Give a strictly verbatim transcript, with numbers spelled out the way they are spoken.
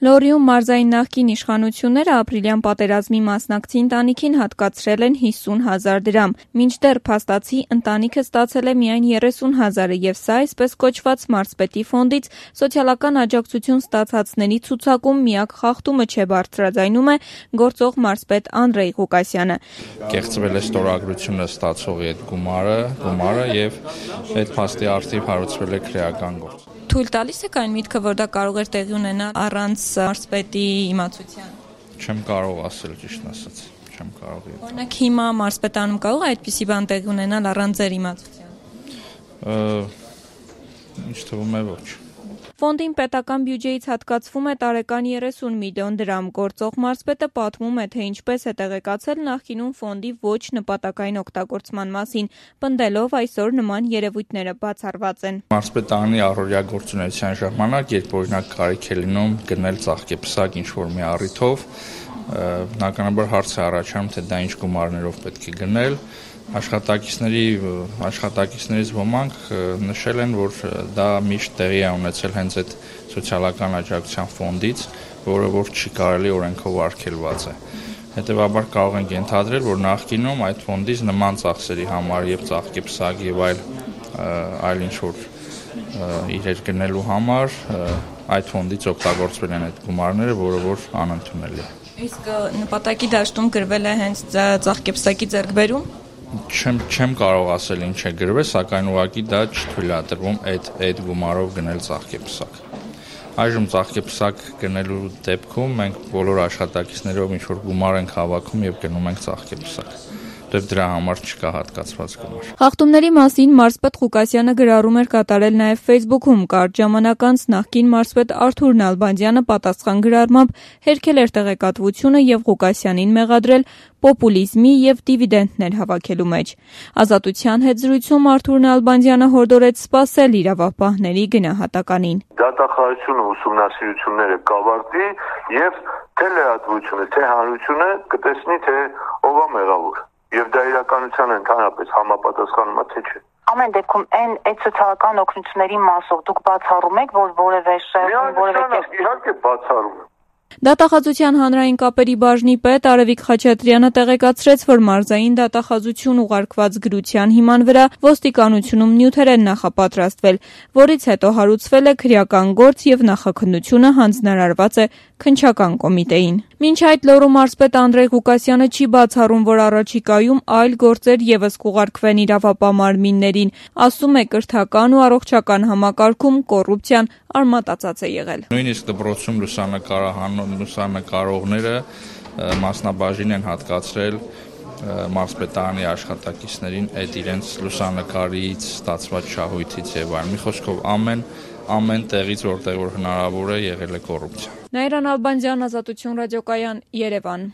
Լոռիում մարզային նախկին իշխանությունները ապրիլյան պատերազմի մասնակցի ընտանիքին հատկացրել են հիսուն հազար դրամ, մինչդեռ փաստացի ընտանիքը ստացել է միայն երեսուն հազարը եւ սա այսպես կոչված մարզպետի ֆոնդից սոցիալական աջակցություն ստացածների ցուցակում միակ խախտումը չէ, բարձրաձայնում է գործող մարզպետ Անդրեյ Ղուկասյանը։ Կեղծվել է ստորագրությունը ստացողի այդ գումարը, գումարը եւ այդ փաստի արդիվ հարուցվել է քրեական գործ։ Թույլ տալիս եք այն միտքը, որ դա կարող էր տեղի ունենալ առանց մարզպետի իմացության։ Չեմ կարող ասել, ճիշտ ասած, չեմ կարող։ Օրինակ հիմա մարզպետանում կարող է այդպիսի բան տեղի ունենալ առանց ձեր իմացության։ Ինչ թվում է, ոչ։ Ֆոնդին պետական բյուջեից հատկացվում է տարեկան երեսուն միլիոն դրամ։ Գործող մարզպետը պատմում է, թե ինչպես է տեղեկացել նախկինում ֆոնդի ոչ նպատակային օգտագործման մասին, պնդելով այսօր նման երևույթները բացառված են։ Մարզպետարանի առօրյա գործունեության ժամանակ, երբ օրինակ կարիք է լինում գնել ծաղկեպսակ ինչ-որ մի առիթով, բնականաբար հարց է առաջանում, թե դա ինչ գումարներով պետք է գնել։ Աշխատակիցների աշխատակիցներից ոմանք նշել են, որ դա միշտ տեղի է ունեցել հենց այդ սոցիալական աջակցության ֆոնդից, որը որ չի կարելի օրենքով արգելված է։ Հետևաբար կարող ենք ենթադրել, որ նախկինում այդ ֆոնդից նման ծախսերի համար եւ ծաղկեպսակ եւ այլ այլ ինչ որ իրեր գնելու համար այդ ֆոնդից օգտագործվել են այդ գումարները, որը որ անընդունելի է։ Իսկ նպատակի դաշտում գրվել է հենց ծաղկեպսակի ձեռքբերում։ Չեմ չեմ կարող ասել ինչ է գրվել, սակայն ուղղակի դա չթույլատրվում այդ այդ գումարով գնել ծաղկեպսակ։ Այժմ ծաղկեպսակ գնելու դեպքում մենք բոլոր աշխատակիցներով ինչ որ գումար ենք հավաքում եւ գնում ենք ծաղկեպսակ։ Դեպ դրա համար չկա հատկացված գումար։ Խախտումների մասին մարզպետ Ղուկասյանը գրառում էր կատարել նաև Facebook-ում։ Կարճ ժամանակ անց նախկին մարզպետ Արթուր Նալբանդյանը պատասխան գրառմամբ հերքել էր տեղեկատվությունը եւ Ղուկասյանին մեղադրել պոպուլիզմի եւ դիվիդենտներ հավաքելու մեջ։ Ազատության հետ զրույցում Արթուր Նալբանդյանը հորդորեց սպասել իրավապահների գնահատականին։ Դատախազությունը ուսումնասիրությունները կավարտի եւ թե լրատվությունը, թե հանրությունը կտեսնի, թե ով է մեղավոր։ Եվ դա իրականության ընդհանրապես համապատասխանում է, թե չէ։ Ամեն դեպքում այն այդ սոցիալական օգնությունների մասով դուք բացառում եք, որ որևէ շահ, որևէ իհարկե բացառում եմ։ Դատախազության հանրային կապերի բաժնի պետ Արևիկ Խաչատրյանը տեղեկացրեց, որ մարզային դատախազություն ուղարկված գրության հիման վրա ոստիկանությունում նյութեր են նախապատրաստվել, որից հետո հարուցվել է քրեական գործ եւ նախաքննությունը հանձնարարված է քննչական կոմիտեին։ Մինչ այդ Լոռու մարզպետ Անդրեյ Ղուկասյանը չի բացառում, որ առաջիկայում այլ գործեր եւս կուղարկվեն իրավապահ մարմիններին, ասում է կրթական ու առողջական համակարգում կոռուպցիան արմատացած է եղել։ Նույնիսկ դպրոցում լուսանկարահանող լուսանկարողները մասնաբաժին են հատկացրել մարզպետարանի աշխատակիցներին այդ իրենց լուսանկարից ստացված շահույթից եւ այլն։ Մի խոսքով ամեն ամեն տեղից որտեղ որ հնարավոր է եղել է կոռուպցիա։ Նաիրա Նալբանդյան, Ազատություն ռադիոկայան, Երևան։